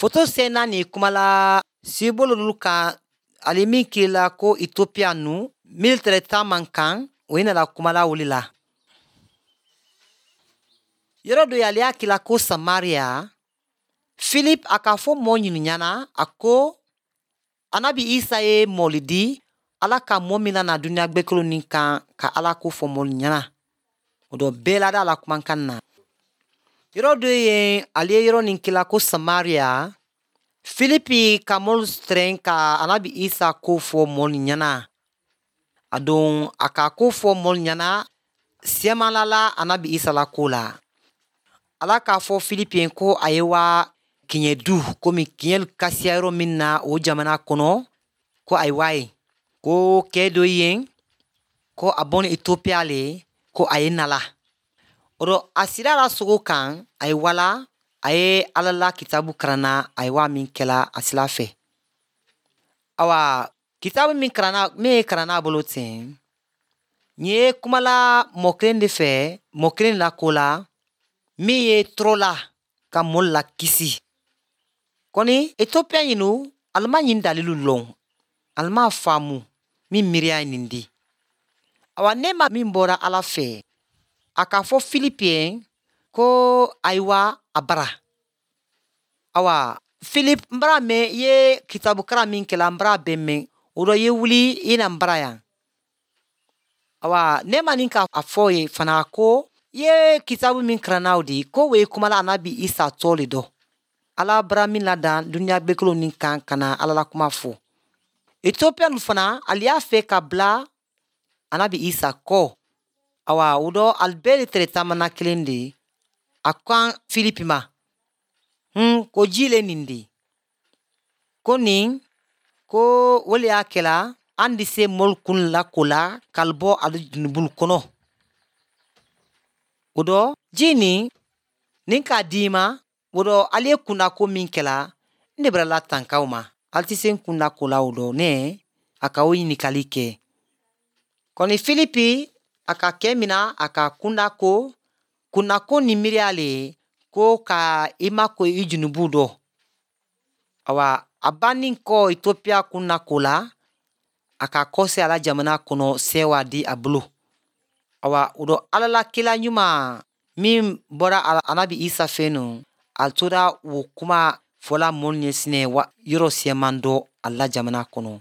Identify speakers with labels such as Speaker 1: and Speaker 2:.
Speaker 1: Foto sen naani kumala sibololu kan ali min kila ko Ethiopia nu mil tɛrɛ taman kan o ye nana kumala wuli la. Yɔrɔ dɔ ale y'a kila ko Samaria. Philip a k'a fɔ mɔɔ ɲinu ɲɛna a ko anabi Isa ye mɔli di ala ka mɔɔ min na duniya gbɛkolo nin kan ka ala ko fɔ mɔli ɲɛna. O dɔ bɛɛ lada a la kumakan na. Yɔrɔ dɔ ye ale ye yɔrɔ nin kila ko Samaria. Filipi ka mɔlu tɛrɛn ka anabi Isa ko fɔ mɔlu ɲɛna. A don a ka ko fɔ mɔlu ɲɛna siyamanla la anabi Isa la ko la. Ala k'a fɔ Filipi ye ko a ye wa kiɲɛ du komi kiɲɛ kasiya yɔrɔ min na o jamana kɔnɔ ko a ye wa ye. Ko kɛ dɔ yen ko a bɔni Ethiopia le ko a ye nala. O dɔ a sira la sogo kan a ye wala a ye ala la kitabu karanna a ye wa min kɛla a sila fɛ. Awa kitabu min karanna min ye karanna a bolo ten nin ye kumala mɔgɔ kelen de fɛ mɔgɔ kelen la ko la min ye tɔɔrɔ la ka mɔɔ la kisi. Kɔni Ethiopia ɲinu alima ɲin dalilu lɔn alima faamu min miiriya ye nin di. Awa ne ma min bɔra ala fɛ a k'a fɔ Filipi ye ko ayiwa a bara. Awa Philip n bara mɛn i ye kitabukara min kɛla n bara bɛɛ mɛn o dɔ ye wuli i na n bara yan. Awa ne ma nin ka a fɔ ye fana ko i ye kitabu min karanna o di ko o ye kumala anabi Isa tɔ le dɔ. Ala bara min ladan duniya gbɛkolo nin kan ka na ala la kuma fɔ. Ethiopia fana ale y'a fɛ ka bila anabi Isa kɔ. Awa o dɔ ali bɛɛ de tɛrɛ taamana kelen de ye. A kan Filipi ma. Ko ji le nin de. Ko nin ko o le y'a kɛla an di se mɔlu kun la ko la k'ali bɔ ali junubulu kɔnɔ. O dɔ ji nin nin k'a di ma o dɔ ali ye kundako min kɛla n de bara la tankaw ma. Ali tɛ se n kundako la o dɔ ne a ka o ɲininkali kɛ. Kɔni Filipi a ka kɛ min na a ka kundako kundako ni miiriya le ko ka i mako i junubu dɔ. Awa a banni kɔ Ethiopia kundako la a ka kɔse ala jamana kɔnɔ sewa di a bolo. Awa o dɔ ala la kila ɲuman min bɔra anabi Isa fɛ nɔ a tora o kuma fɔla mɔlu ɲɛsinɛ wa yɔrɔ siyaman dɔ a la jamana kɔnɔ.